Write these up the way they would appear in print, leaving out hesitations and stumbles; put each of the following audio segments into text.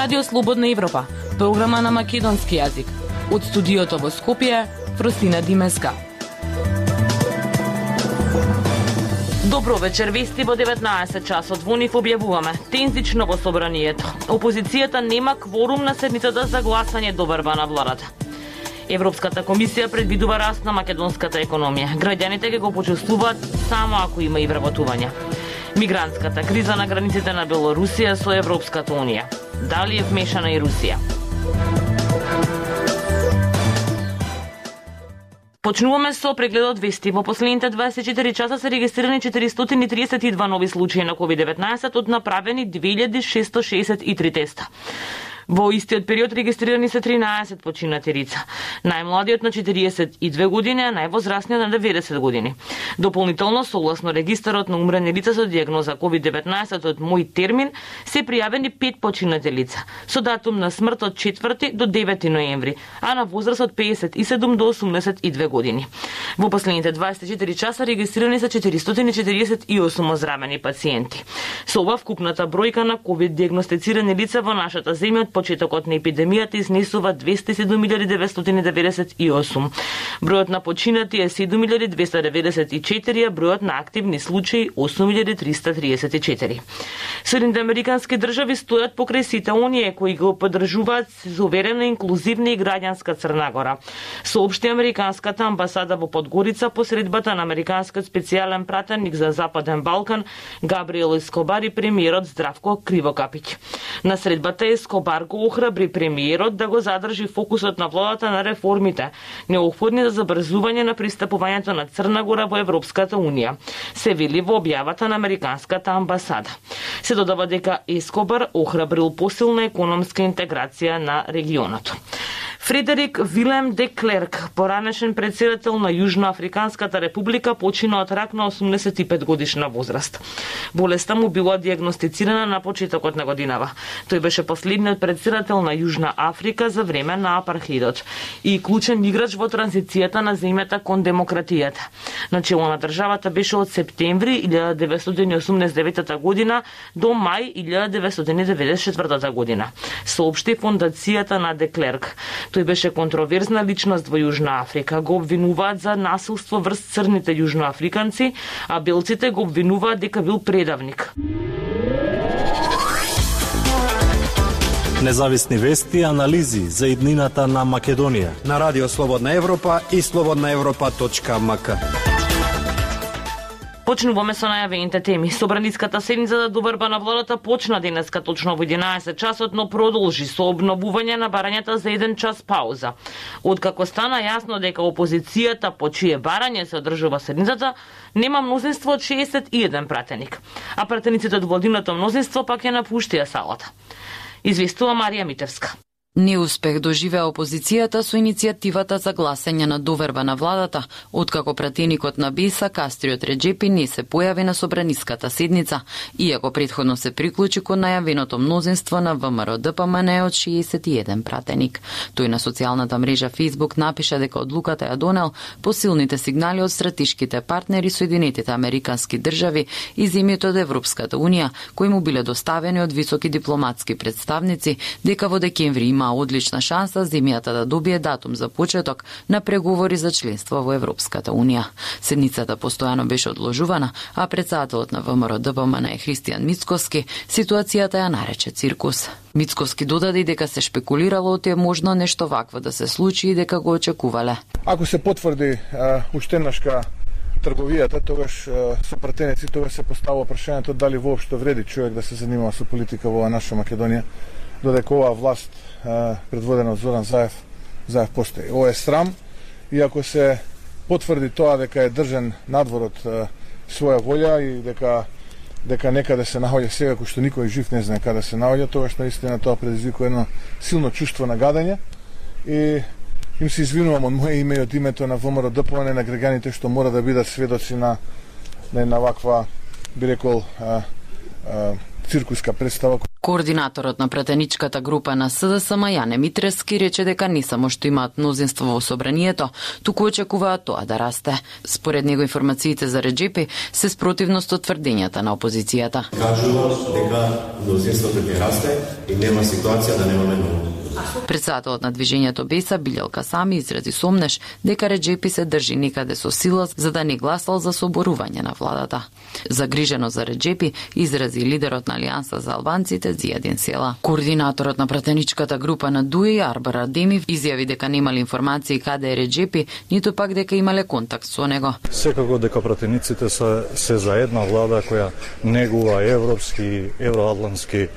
Радио Слободна Европа, програма на македонски јазик. Од студиото во Скопје, Фросина Димеска. Добро вечер, вести во 19 часот во НИФ објавуваме. Тензично во собранието. Опозицијата нема кворум на седницата за гласање до верба на владата. Европската комисија предвидува раст на македонската економија. Граѓаните ќе го почувствуваат само ако има и вработување. Мигрантската криза на границите на Белорусија со Европската унија. Дали е вмешана и Русија? Почнуваме со прегледот вести. Во последните 24 часа се регистрирани 432 нови случаи на COVID-19 од направени 2663 теста. Во истиот период регистрирани се 13 починати лица. Најмладиот на 42 години, а највозрастниот на 90 години. Дополнително, согласно регистарот на умрени лица со дијагноза COVID-19 од мој термин, се пријавени 5 починати лица, со датум на смрт од 4 до 9 ноември, а на возраст од 57 до 82 години. Во последните 24 часа регистрирани се 448 оздравени пациенти. Со ова вкупната бројка на COVID дијагностицирани лица во нашата земја од почетокот на епидемијата изнесува 207.998. Бројот на починати е 7.294, а бројот на активни случаи 8.334. Соединените американски држави стојат покрај сите оние кои го поддржуваат суверена, инклузивна и граѓанска Црна Гора, соопшти американската амбасада во Подгорица посредбата на американскиот специјален пратеник за Западен Балкан Габриел Ескобар и премиерот Здравко Кривокапиќ. На средбата Ескобар го охрабри премиерот да го задржи фокусот на владата на реформите, неопходни за забрзување на пристапувањето на Црна Гора во Европската унија, се вели во објавата на американската амбасада. Се додава дека Ескобар охрабрил посилна економска интеграција на регионот. Фредерик Вилем де Клерк, поранешен председател на Јужноафриканската република, почина од рак на 85 годишна возраст. Болеста му била дијагностицирана на почетокот на годинава. Тој беше последниот председател на Јужна Африка за време на апархидот и клучен играч во транзицијата на земјата кон демократијата. Начело на државата беше од септември 1989 година до мај 1994 година, соопшти фондацијата на де Клерк. Тој беше контроверзна личност во Јужна Африка. Го обвинуваат за насилство врз црните јужноафриканци, а белците го обвинуваат дека бил предавник. Независни вести и анализи за иднината на Македонија на Радио Слободна Европа и slobodnaevropa.mk. Почнуваме со најавените теми. Собраниската седница за доверба на владата почна денеска точно во 11 часот, но продолжи со обновување на барањата за 1 час пауза. Откако стана јасно дека опозицијата по чие барање се одржува седницата, нема мнозинство од 61 пратеник, а пратениците од владиното мнозинство пак ја напуштија салата. Известува Марија Митевска. Неуспех доживеа опозицијата со иницијативата за гласање на доверба на владата, откако пратеникот на БИСА Кастриот Реджепи не се појави на собраниската седница, иако претходно се приклучи кон најавеното мнозинство на ВМРО-ДПМН од 61 пратеник. Тој на социјалната мрежа Facebook напиша дека одлуката ја донел по силните сигнали од стратешките партнери Соединетите Американски држави и земјите од Европската унија, кои му биле доставени од високи дипломатски представници, дека во декември има одлична шанса земјата да добие датум за почеток на преговори за членство во Европската унија. Седницата постојано беше одложувана, а председателот на ВМРО-ДПМН Христијан Мицкоски ситуацијата ја нарече циркус. Мицкоски додаде дека се шпекулирало оти е можно нешто вакво да се случи и дека го очекувале. Ако се потврди уштенашка трговијата, тогаш со пратеници, тогаш се поставува прашањето дали воопшто вреди човек да се занимава со политика во наша Македонија, додека оваа власт предводена од Зоран Заев постои. Ова е срам, и ако се потврди тоа дека е држан надвор од своја волја и дека некаде се наоѓа сега, кој што никој жив не знае каде се наоѓа, тогаш наистина тоа предизвикува едно силно чувство на гадење и им се извинувам од моје име и од името на ВМРО-ДПМН на граѓаните што мора да бидат сведоци на една ваква, би рекол, циркуска представа. Координаторот на пратеничката група на СДСМ Јане Митрески рече дека не само што имаат мнозинство во собранието, туку очекуваат тоа да расте. Според него информациите за Реджепи се спротивност од тврдењата на опозицијата. Кажуваат дека мнозинството ќе расте и нема ситуација да немаме ново. Председателот на движењето Беса Билјалка Сами изрази сомнеш дека Реджепи се држи некаде со сила за да не гласал за соборување на владата. Загрижено за Реджепи изрази лидерот на Алијанса за албанците Зијадин Села. Координаторот на пратеничката група на ДУИ Арбар Адемив изјави дека немале информации каде е Реджепи, ниту пак дека имале контакт со него. Секако дека пратениците се за една влада која негува европски, евроатлантски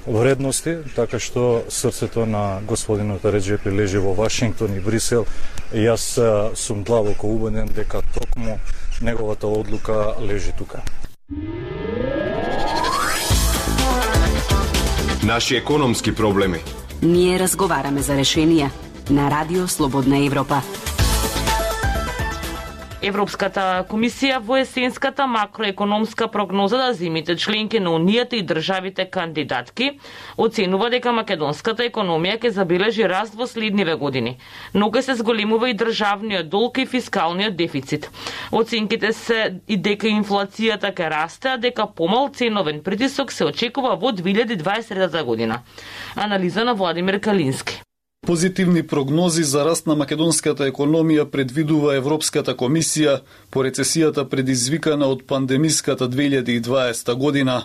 вредности, така што срцето на господинот Реджепи лежи во Вашингтон и Брисел и јас сум длабоко убеден дека токму неговата одлука лежи тука. Наши економски проблеми. Ние разговараме за решенија на Радио Слободна Европа. Европската комисија во есенската макроекономска прогноза за земјите членки на Унијата и државите кандидатки оценува дека македонската економија ќе забележи раст во следниве години, но ќе се зголемува и државниот долг и фискалниот дефицит. Оценките се и дека инфлацијата ќе расте, а дека помал ценовен притисок се очекува во 2023 година. Анализа на Владимир Калински. Позитивни прогнози за раст на македонската економија предвидува Европската комисија по рецесијата предизвикана од пандемиската 2020 година.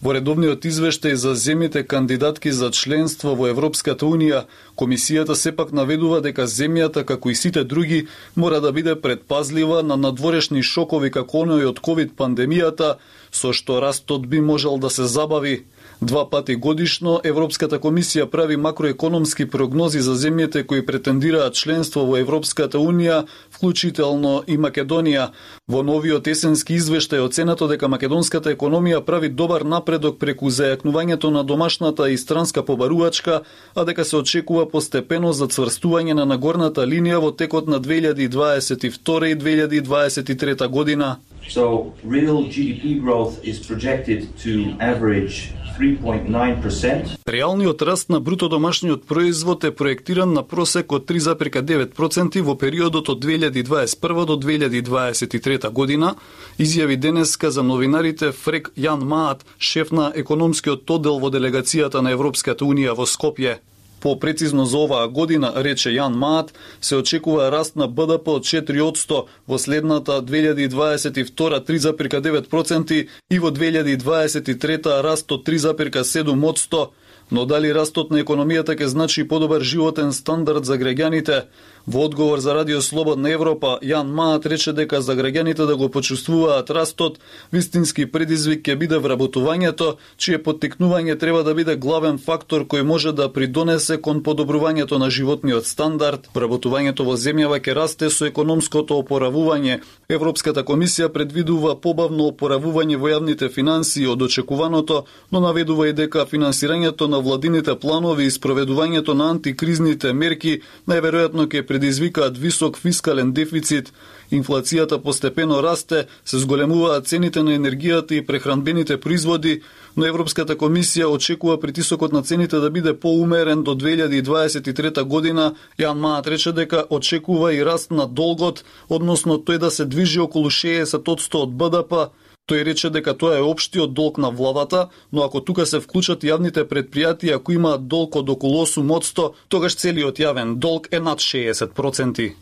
Во редовниот извештај за земјите кандидатки за членство во Европската Унија, комисијата сепак наведува дека земјата, како и сите други, мора да биде предпазлива на надворешни шокови како оној од ковид пандемијата, со што растот би можел да се забави. 2 пати годишно Европската комисија прави макроекономски прогнози за земјите кои претендираат членство во Европската Унија, вклучително и Македонија. Во новиот есенски извештај оценато дека македонската економија прави добар напредок преку зајакнувањето на домашната и странска побарувачка, а дека се очекува постепено зацврстување на нагорната линија во текот на 2022 и 2023 година. So real GDP growth is projected to average 3.9%. Реалниот раст на бруто домашниот производ е проектиран на просек од 3,9% во периодот од 2021 до 2023 година, изјави денеска за новинарите Фрек Јан Маат, шеф на економскиот оддел во делегацијата на Европската Унија во Скопје. По-прецизно за оваа година, рече Јан Маат, се очекува раст на БДП од 4%, во следната 2022 3,9% и во 2023 раст од 3,7%. Но дали растот на економијата ќе значи подобар животен стандард за граѓаните? Во одговор за Радио Слободна Европа, Јан Маат рече дека за граѓаните да го почувствуваат растот, вистински предизвик ќе биде вработувањето, чие поттикнување треба да биде главен фактор кој може да придонесе кон подобрувањето на животниот стандард. Вработувањето во земјава ќе расте со економското опоравување. Европската комисија предвидува побавно опоравување во јавните финансии од очекуваното, но наведува и дека финансирањето на владините планови и спроведувањето на антикризните мерки најверојатно ќе предизвикаат висок фискален дефицит. Инфлацијата постепено расте, се зголемуваат цените на енергијата и прехранбените производи, но Европската комисија очекува притисокот на цените да биде поумерен до 2023 година. Јан Маат рече дека очекува и раст на долгот, односно тој да се движи околу 60% од БДП. Тој рече дека тоа е општиот долг на владата, но ако тука се вклучат јавните предпријатија кои имаат долг од околу 8%, тогаш целиот јавен долг е над 60%.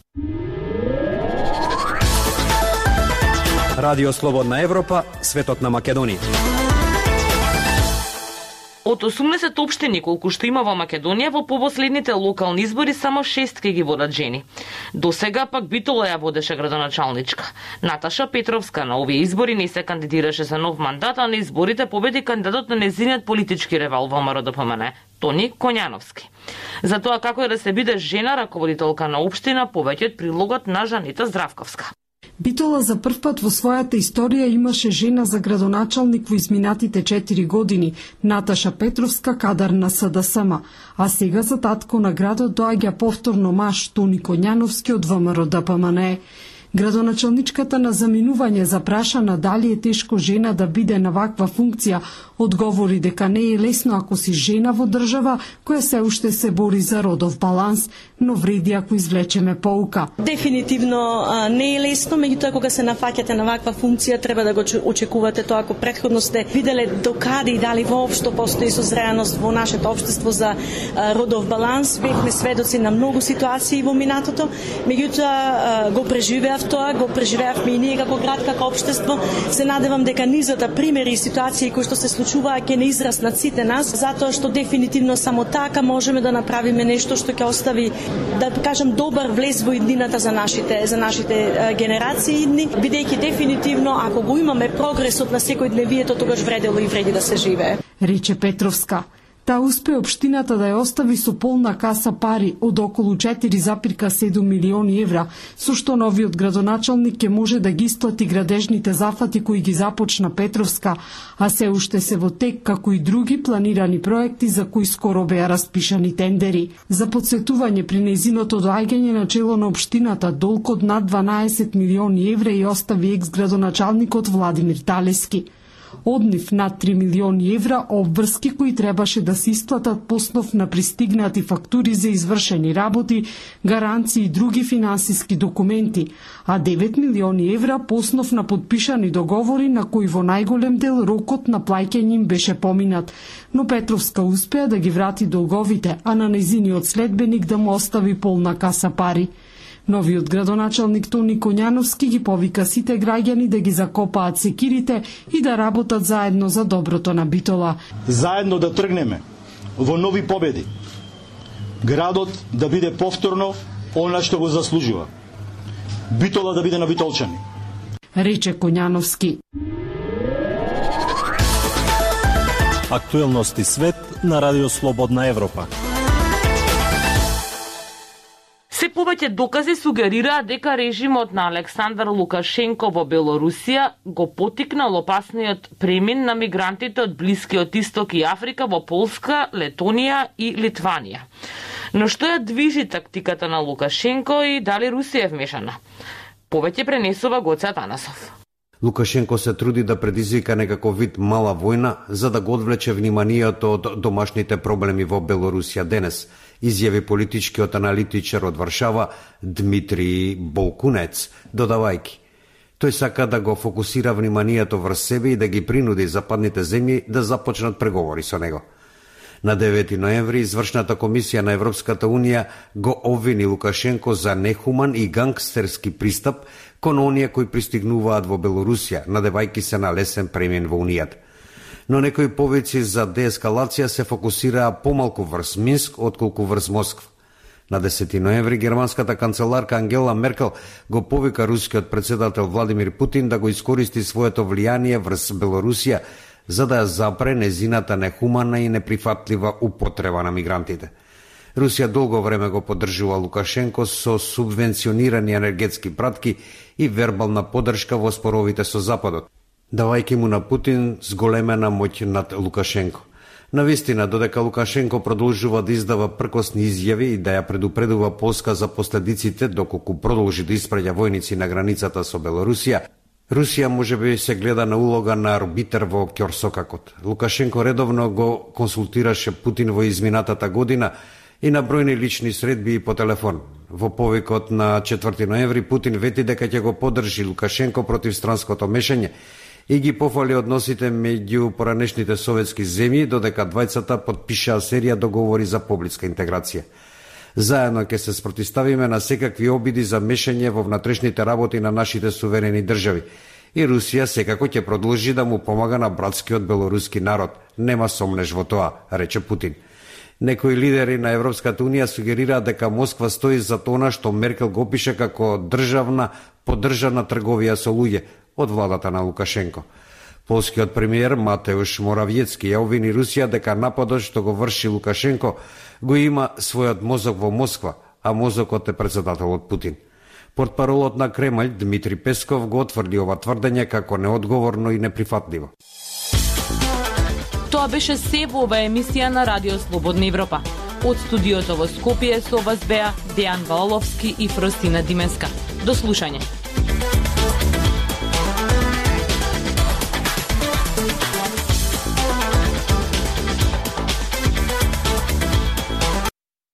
Радио Слободна Европа, светот на Македонија. Од 80 општини колку што има во Македонија, во последните локални избори само 6 ќе ги водат жени. До сега пак Битола ја водеше градоначалничка. Наташа Петровска на овие избори не се кандидираше за нов мандат, а на изборите победи кандидатот на незиниот политички ревал во МРДПМН, Тони Коњановски. За тоа како е да се биде жена раководителка на општина, повеќе од прилогот на Жанета Здравковска. Битола за прв пат во својата историја имаше жена за градоначалник во изминатите 4 години, Наташа Петровска, кадар на СДСМ, а сега за татко на градот доаѓа повторно маж Тони Коњановски од ВМРО-ДПМН. Градоначалничката на заминување запрашана дали е тешко жена да биде на ваква функција, одговори дека не е лесно ако си жена во држава која се уште се бори за родов баланс, но вреди ако извлечеме поука. Дефинитивно не е лесно, меѓутоа кога се нафаќате на ваква функција треба да го очекувате тоа ако претходно сте виделе докаде и дали воопшто постои созреаност во нашето општество за родов баланс. Бевме сведоци на многу ситуации во минатото, меѓутоа го преживеав тоа, го преживеавме и ние како град, како општество. Се надевам дека низата примери и ситуации кои што се случуваа ќе не израснат сите нас, затоа што дефинитивно само така можеме да направиме нешто што ќе остави, да кажам, добар влез во иднината за нашите генерации идни, бидејќи дефинитивно ако го имаме прогресот на секојдневието, тогаш вредело и вреди да се живее. Рече Петровска. Таа успе општината да ја остави со полна каса пари од околу 4,7 милиони евра, со што новиот градоначалник ќе може да ги исплати градежните зафати кои ги започна Петровска, а се уште се во тек како и други планирани проекти за кои скоро беа распишани тендери. За подсетување, при нејзиното доаѓање на чело на општината долг од над 12 милиони евра и остави екс-градоначалникот Владимир Талески. Од нив над 3 милиони евра обврски кои требаше да се исплатат по основ на пристигнати фактури за извршени работи, гаранции и други финансиски документи, а 9 милиони евра по основ на подпишани договори на кои во најголем дел рокот на плаќање им беше поминат. Но Петровска успеа да ги врати долговите, а на нејзиниот следбеник да му остави полна каса пари. Новиот градоначалник Тони Коњановски ги повика сите граѓани да ги закопаат секирите и да работат заедно за доброто на Битола. Заедно да тргнеме во нови победи. Градот да биде повторно она што го заслужува. Битола да биде на битолчани. Рече Коњановски. Актуелности свет на Радио Слободна Европа. Се повеќе докази сугерираат дека режимот на Александар Лукашенко во Белорусија го поттикнал опасниот премин на мигрантите од Блискиот Исток и Африка во Полска, Летонија и Литванија. Но што ја движи тактиката на Лукашенко и дали Русија е вмешана? Повеќе пренесува Гоце Атанасов. Лукашенко се труди да предизвика некако вид мала војна за да го одвлече вниманието од домашните проблеми во Белорусија денес, изјави политичкиот аналитичар од Варшава Дмитрий Болкунец, додавајќи: тој сака да го фокусира вниманието врз себе и да ги принуди западните земји да започнат преговори со него. На 9 ноември извршната комисија на Европската Унија го обвини Лукашенко за нехуман и гангстерски пристап кон оние кои пристигнуваат во Белорусија, надевајќи се на лесен премин во Унијата. Но некои повици за деескалација се фокусираа помалку врз Минск отколку врз Москва. На 10 ноември германската канцеларка Ангела Меркел го повика рускиот председател Владимир Путин да го искористи своето влијание врз Белорусија за да ја запре незината нехумана и неприфатлива употреба на мигрантите. Русија долго време го поддржува Лукашенко со субвенционирани енергетски пратки и вербална поддршка во споровите со Западот, давајќи му на Путин зголемена моќ над Лукашенко. Навистина, додека Лукашенко продолжува да издава пркосни изјави и да ја предупредува Полска за последиците доколку продолжи да испраќа војници на границата со Белорусија, Русија можеби се гледа на улога на арбитер во ќорсокакот. Лукашенко редовно го консултираше Путин во изминатата година и на бројни лични средби и по телефон. Во повикот на 4 ноември Путин вети дека ќе го поддржи Лукашенко против странското мешање и ги пофали односите меѓу поранешните советски земји, додека двајцата потпишаа серија договори за поблиска интеграција. Заедно ќе се спротивставиме на секакви обиди за мешање во внатрешните работи на нашите суверени држави. И Русија секако ќе продолжи да му помага на братскиот белоруски народ. Нема сомнеш во тоа, рече Путин. Некои лидери на Европската Унија сугерираат дека Москва стои за тоа што Меркел го опише како државна поддржана трговија со луѓе од владата на Лукашенко. Полскиот премиер Матеуш Моравиецки ја обвини Русија дека нападот што го врши Лукашенко го има својот мозок во Москва, а мозокот е председателот Путин. Портпаролот на Кремљ Дмитри Песков го отврди ова тврдење како неодговорно и неприфатливо. Тоа беше се во оваа емисија на Радио Слободна Европа. Од студиото во Скопје со вас беа Дејан Валовски и Фростина Дименска. До слушање.